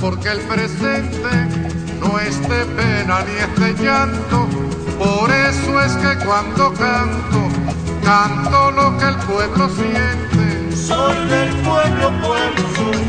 porque el presente no es de pena ni es de llanto. Por eso es que cuando canto, canto lo que el pueblo siente. Soy del pueblo, pueblo soy.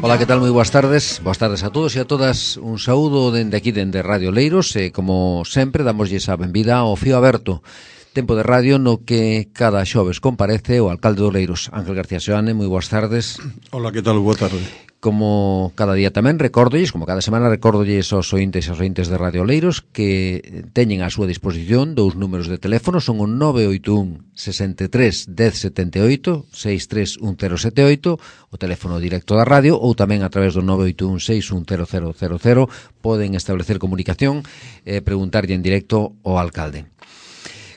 Ola, que tal? Moi boas tardes a todos e a todas. Un saúdo dende aquí, dende Radio Leiros, e como sempre damoslle a benvida ao Fío Aberto, tempo de radio no que cada xoves comparece o alcalde do Leiros, Ángel García Seoane. Moi boas tardes. Ola, que tal? Boa tarde. Como cada día tamén recórdolles, como cada semana recórdolles aos ointes e aos ointes de Radio Leiros que teñen á súa disposición dous números de teléfono, son o 981 63 1078 631078, o teléfono directo da radio, ou tamén a través do 981 6100000 poden establecer comunicación e preguntarlle en directo ao alcalde.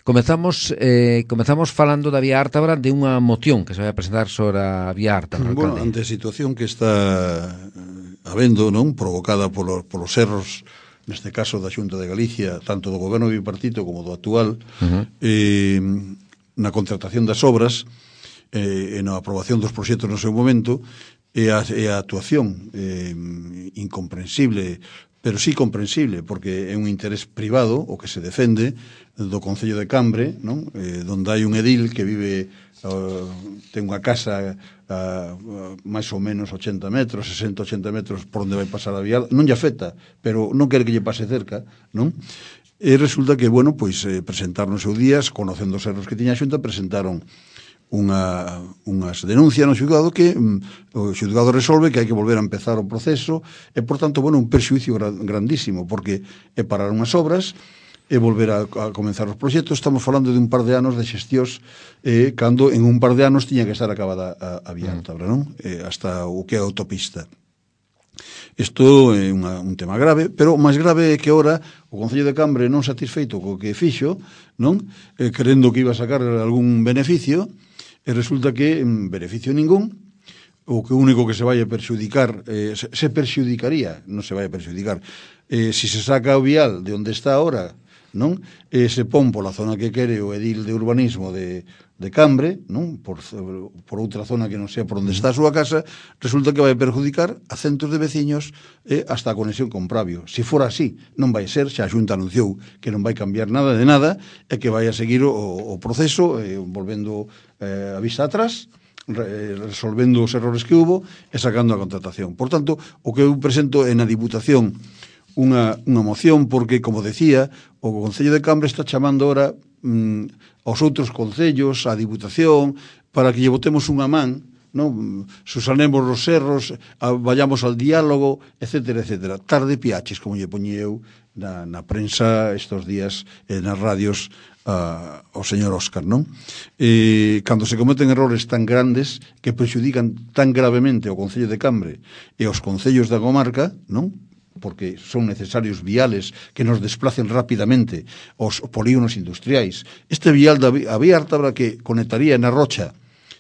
Comezamos falando da Vía Ártabra, de unha moción que se vai a presentar sobre a Vía Ártabra. Bueno, ante a situación que está habendo, non, provocada polos erros, neste caso da Xunta de Galicia, tanto do goberno bipartito como do actual, na contratación das obras, e na aprobación dos proxectos no seu momento, e a actuación incomprensible, pero sí comprensible, porque é un interés privado o que se defende do Concello de Cambre, non? Donde hai un edil que vive, ten unha casa a máis ou menos 80 metros, 60-80 metros por onde vai pasar a vía, non lle afecta, pero non quere que lle pase cerca, non? E resulta que, bueno, pois presentaron os seus días, conocendo os erros que tiña a Xunta, presentaron unhas denuncias no xulgado que o xulgado resolve que hai que volver a empezar o proceso e, por tanto, bueno, un perxuicio grandísimo, porque é parar unhas obras e volver a comenzar os proxectos. Estamos falando de un par de anos de xestións, cando en un par de anos tiña que estar acabada a Vía Ártabra, non? Hasta o que é a autopista. Isto é un tema grave, pero o máis grave é que ora o Concello de Cambre, non satisfeito co que fixo, non, querendo que iba a sacar algún beneficio, e resulta que beneficio ningún, o que único que se vai a perxudicar, se perxudicaría, non se vai a perxudicar, se se saca o vial de onde está ahora, non? Se pon pola zona que quere o edil de urbanismo de Cambre, non? Por outra zona que non sea por onde está a súa casa, resulta que vai perjudicar a centos de veciños hasta a conexión con Pravio. Se for así, non vai ser, xa a Xunta anunciou que non vai cambiar nada de nada e que vai a seguir o proceso, volvendo a vista atrás, resolvendo os errores que hubo e sacando a contratación. Por tanto, o que eu presento é na Diputación unha moción porque, como decía, o Concello de Cambre está chamando ahora aos outros concellos, á Diputación, para que lle botemos unha man, non? Susanemos os erros, vayamos al diálogo, etcétera, etcétera. Tarde piaches, como lle poñía eu na prensa estos días, nas radios, ao señor Óscar, non? Cando se cometen errores tan grandes que prexudican tan gravemente ao Concello de Cambre e aos concellos da comarca, non? Porque son necesarios viales que nos desplacen rapidamente os polígonos industriais. Este vial a Vía Ártabra que conectaría na Rocha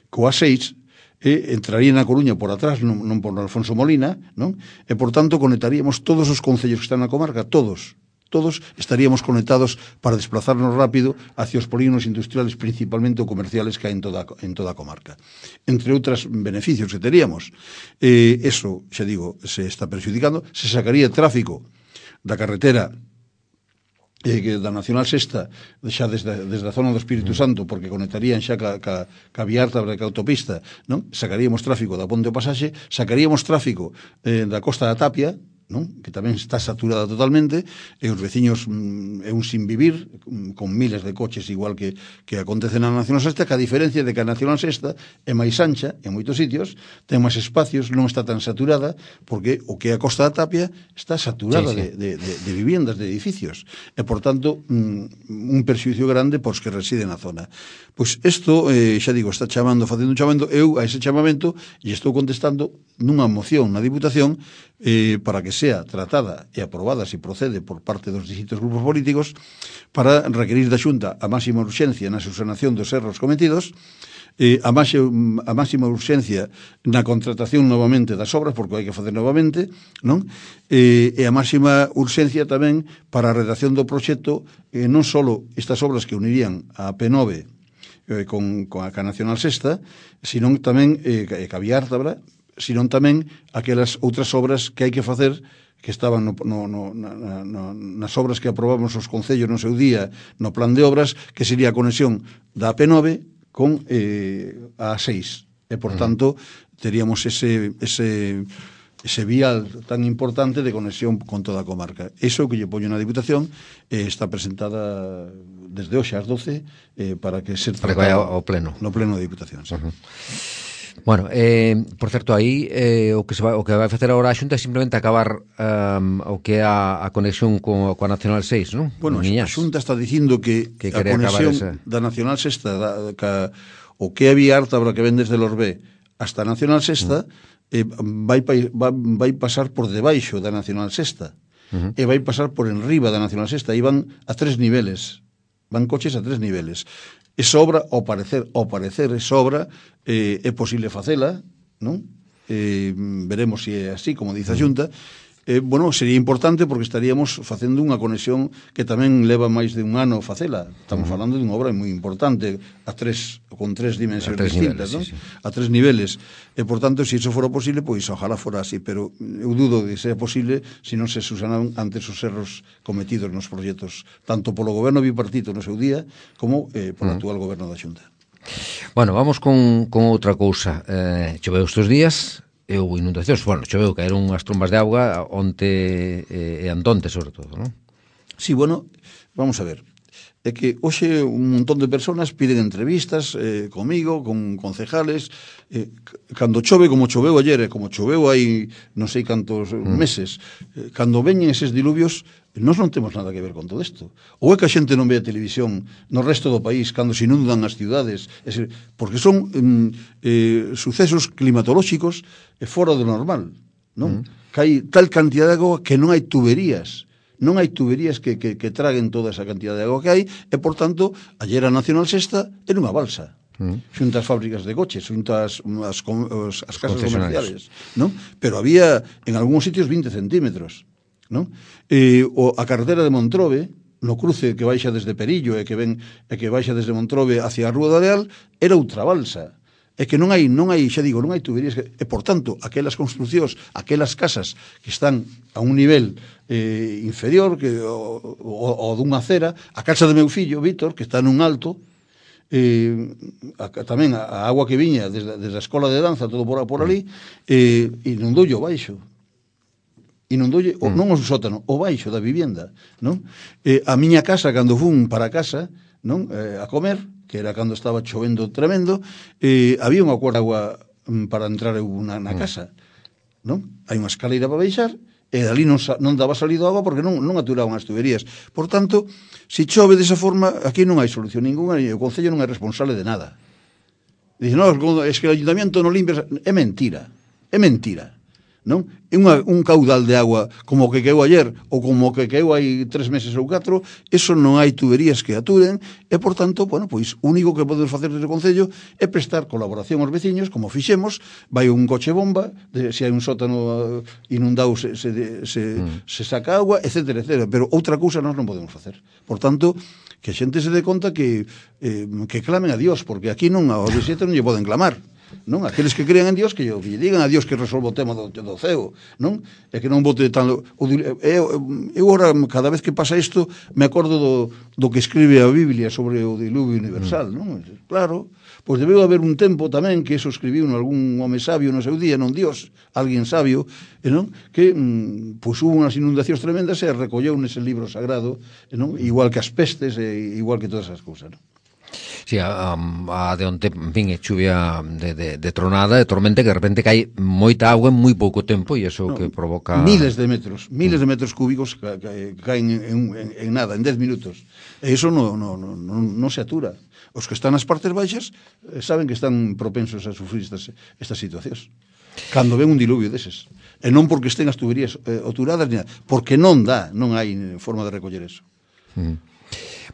coa 6 entraría na Coruña por atrás, non por Alfonso Molina, non? E, por tanto, conectaríamos todos os concellos que están na comarca, todos estaríamos conectados para desplazarnos rápido hacia os polígonos industriales, principalmente o comerciales que hai en toda a comarca. Entre outros beneficios que teríamos. Eso, xa digo, se está perxudicando. Se sacaría tráfico da carretera da Nacional Sexta, xa desde a zona do Espírito Santo, porque conectarían xa ca Vía Ártabra e ca autopista, non? Sacaríamos tráfico da Ponte ao Pasaxe, sacaríamos tráfico da Costa da Tapia, non? Que tamén está saturada totalmente, e os veciños é un sinvivir con miles de coches, igual que acontece na Nacional Sexta, que a diferencia de que a Nacional Sexta é máis ancha en moitos sitios, ten máis espacios, non está tan saturada, porque o que é a Costa da Tapia está saturada de viviendas, de edificios, e, por tanto, un perxuicio grande pos que residen na zona. Pois isto, xa digo, está facendo un chamamento, eu a ese chamamento e estou contestando nunha moción na Diputación para que sea tratada e aprobada, se procede, por parte dos distintos grupos políticos, para requerir da Xunta a máxima urxencia na subsanación dos erros cometidos, a máxima urxencia na contratación novamente das obras, porque hai que facer novamente, non? E a máxima urxencia tamén para a redacción do proxecto, non só estas obras que unirían a P9 con a Nacional Sexta, sino tamén que a Vía Ártabra, senón tamén aquelas outras obras que hai que facer que estaban nas obras que aprobamos os concellos no seu día, no plan de obras, que sería a conexión da AP9 con a A6. E, por tanto, teríamos ese vial tan importante de conexión con toda a comarca. Iso que lle poño na Diputación está presentada desde hoxe ás 12 para que se para que vaya ao pleno. No pleno da Diputación, sí. Bueno, por certo, aí o que vai facer agora a Xunta é simplemente acabar o que é a conexión coa Nacional 6, non? Bueno, a Xunta está dicindo que a conexión da Nacional 6 o que é a vía Ártabra que ven desde Lorbé hasta a Nacional 6 vai pasar por debaixo da Nacional 6 e vai pasar por enriba da Nacional 6 e van a 3 niveles, van coches a 3 niveles. Esa obra, ao parecer esa obra é posible facela, non? Veremos se é así, como dice a Xunta. Bueno, sería importante porque estaríamos facendo unha conexión que tamén leva máis de un ano facela. Estamos falando de unha obra moi importante con tres dimensións distintas, non? Sí. A 3 niveles. E, por tanto, se iso fora posible, pois ojalá fora así, pero eu dudo de ser posible se non se susanan antes os erros cometidos nos proxectos, tanto polo goberno bipartito no seu día, como polo actual goberno da Xunta. Bueno, vamos con outra cousa. Choveu estes días, e houve inundacións. Bueno, choveu, caeron unhas trombas de auga onte e antonte, sobre todo, non? Sí, bueno, vamos a ver. É que hoxe un montón de personas piden entrevistas comigo, con concejales. Cando chove, como choveu ayer, como choveu hai non sei cantos meses, cando veñen eses diluvios, nós non temos nada que ver con todo isto. Ou é que a xente non ve a televisión no resto do país cando se inundan as ciudades, porque son sucesos climatolóxicos fora do normal, non? Que hai tal cantidad de agua que non hai tuberías. Non hai tuberías que traguen toda esa cantidad de agua que hai e, por tanto, ayer a Nacional 6 era unha balsa. Xunto as fábricas de coches, xunto as casas comerciales, non? Pero había, en algúns sitios, 20 centímetros, non? A carretera de Montrobe, no cruce que baixa desde Perillo e que baixa desde Montrobe hacia a Rúa do Areal, era outra balsa. É que non hai, xa digo, non hai tuberías e, por tanto, aquelas construcións, aquelas casas que están a un nivel inferior o dunha acera, a casa do meu fillo, Víctor, que está nun alto, tamén a agua que viña desde a escola de danza, todo por ali, inundoulle o baixo. Inundoulle non o sótano, o baixo da vivenda, non? A miña casa, cando fun para casa, non, a comer, que era cando estaba chovendo tremendo, había unha cuarta agua para entrar na casa, non? Hai unha escaleira para baixar, e dali non daba salido agua porque non aturaban as tuberías. Por tanto, se chove desa forma, aquí non hai solución ninguna, e o Concello non é responsable de nada. Dice, no, es que o Ayuntamiento non limpia... É mentira, non? É un caudal de agua como o que queou ayer ou como o que queou hai 3 meses ou 4, eso non hai tuberías que aturen e, por tanto, bueno, pois, o único que podemos facer desde o Concello é prestar colaboración aos veciños, como fixemos, vai un coche bomba, se hai un sótano inundado se saca agua, etcétera, etcétera, pero outra cousa nós non podemos facer. Por tanto, que a xente se dé conta que clamen a Dios, porque aquí non, aos 17 non lle poden clamar. Non? Aqueles que crean en Dios que lle digan a Dios que resolva o tema do ceo, non? E que non bote tan... Eu ora, cada vez que pasa isto, me acordo do que escribe a Biblia sobre o diluvio universal, non? Claro, pois debeu haber un tempo tamén que eso escribiu algún home sabio no seu día, non Dios, alguén sabio, non? Que pois hubo unhas inundacións tremendas e recolleu nese libro sagrado, non? Igual que as pestes e igual que todas as cousas, non? Sí, a de onte, en fin, é chuvia de tronada, de tormenta, que de repente cae moita agua en moi pouco tempo e iso que provoca... Miles de metros cúbicos caen en nada, en 10 minutos. E iso non se atura. Os que están nas partes baixas saben que están propensos a sufrir estas situacións. Cando ven un diluvio deses. E non porque estén as tuberías aturadas, porque non hai forma de recoller eso.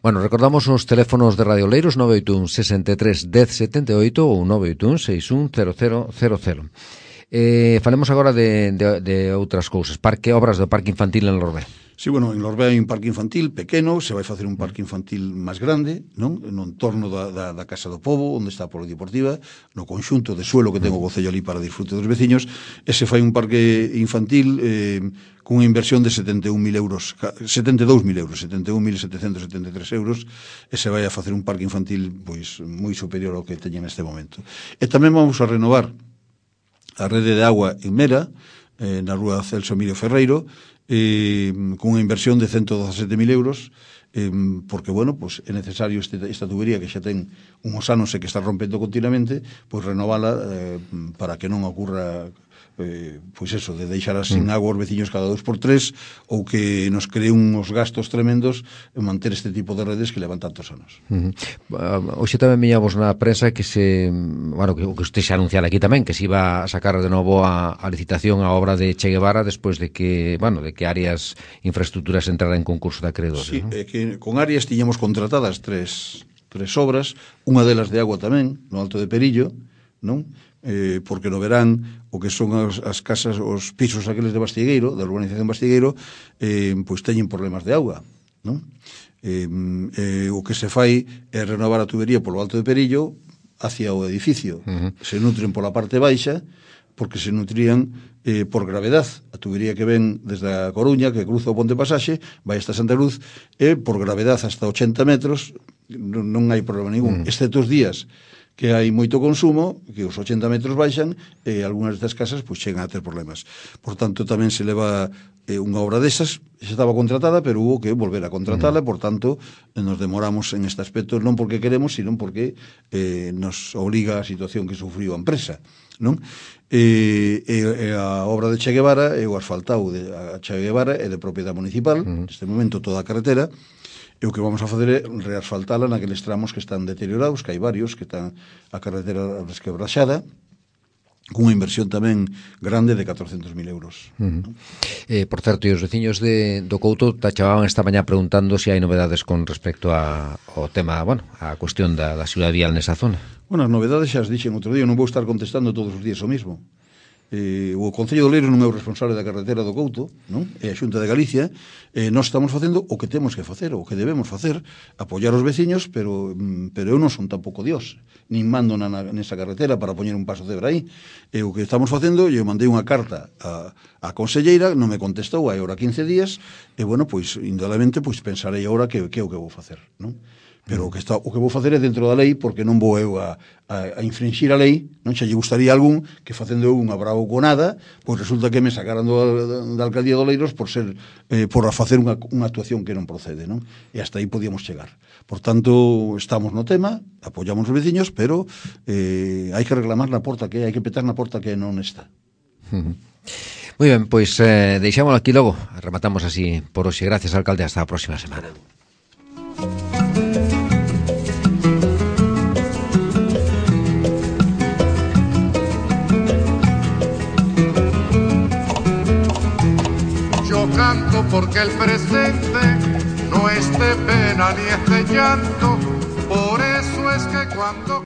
Bueno, recordamos os teléfonos de Radio Oleiros 981 63 10 78 ou 981 61 0000. Falemos agora de outras cousas. Obras do Parque Infantil en Lorbé. Sí, bueno, en Lorbea hai un parque infantil pequeno, se vai facer un parque infantil máis grande, non? No entorno da Casa do Pobo, onde está a Polideportiva, no conxunto de suelo que ten o Concello ali para disfrute dos veciños, e se fai un parque infantil cunha inversión de 72.000 euros, 71.773 euros, e se vai a facer un parque infantil pois moi superior ao que teñen neste momento. E tamén vamos a renovar a rede de agua en Mera, na rúa Celso Emilio Ferreiro, cunha inversión de 117.000 euros, porque, bueno, pues é necesario esta tubería que xa ten uns anos e que está rompendo continuamente, pois renovala para que non ocurra pois eso, de deixar sin agua os veciños cada 2x3 ou que nos cree uns gastos tremendos en manter este tipo de redes que levan tantos anos. Hoxe tamén viñamos na prensa que que usted xa anunciara aquí tamén, que se iba a sacar de novo a licitación a obra de Che Guevara despois de que Arias Infraestructuras entrara en concurso de acreedores. Sí, que con Arias tiñamos contratadas tres obras, unha delas de agua tamén, no Alto de Perillo, non? Porque no verán o que son as casas, os pisos aqueles de Bastigueiro, da urbanización Bastigueiro, pois teñen problemas de auga, non? O que se fai é renovar a tubería polo Alto de Perillo hacia o edificio. Se nutren pola parte baixa, porque se nutrían por gravedad. A tubería que ven desde a Coruña, que cruza o Ponte Pasaxe, vai hasta Santa Cruz, e por gravedad hasta 80 metros non hai problema ningún, excepto os días que hai moito consumo, que os 80 metros baixan, e algunhas destas casas pois chegan a ter problemas. Por tanto, tamén se leva unha obra desas, xa estaba contratada, pero hubo que volver a contratala, por tanto, nos demoramos en este aspecto, non porque queremos, sino porque nos obliga a situación que sufriu a empresa, non? A obra de Che Guevara e o asfaltado de Che Guevara é de propiedade municipal, neste momento toda a carretera, e o que vamos a facer é reasfaltala naqueles tramos que están deteriorados, que hai varios, que están a carretera resquebraxada, cunha inversión tamén grande de 400.000 euros. Por certo, e os veciños do Couto tachaban esta mañá preguntando se hai novedades con respecto ao tema, a cuestión da seguridade vial nesa zona. Bueno, as novedades xa as dixen outro día, non vou estar contestando todos os días o mismo. O Concello de Oleiros non é o responsable da carretera do Couto, non? É a Xunta de Galicia, nós estamos facendo o que temos que facer, o que debemos facer, apoiar os veciños, pero eu non son tampouco Dios, nin mando nesa carretera para poñer un paso de cebra aí. O que estamos facendo, eu mandei unha carta a conselleira, non me contestou hai ora 15 días, e, bueno, pois, indudablemente, pois, pensarei agora que é o que vou facer, non? Pero o que vou facer é dentro da lei, porque non vou eu a infringir a lei, non? Xa lle gustaría algún que facendo eu unha bravuconada, pois resulta que me sacaran da alcaldía de Oleiros por facer unha actuación que non procede, non? E hasta aí podíamos chegar. Por tanto, estamos no tema, apoiamos os veciños, pero hai que reclamar na porta que hai que petar na porta que non está. Moi ben, pois deixámoslo aquí logo, rematamos así por hoxe. Gracias, alcalde, hasta a próxima semana. Canto porque el presente no es de pena ni es de llanto, por eso es que cuando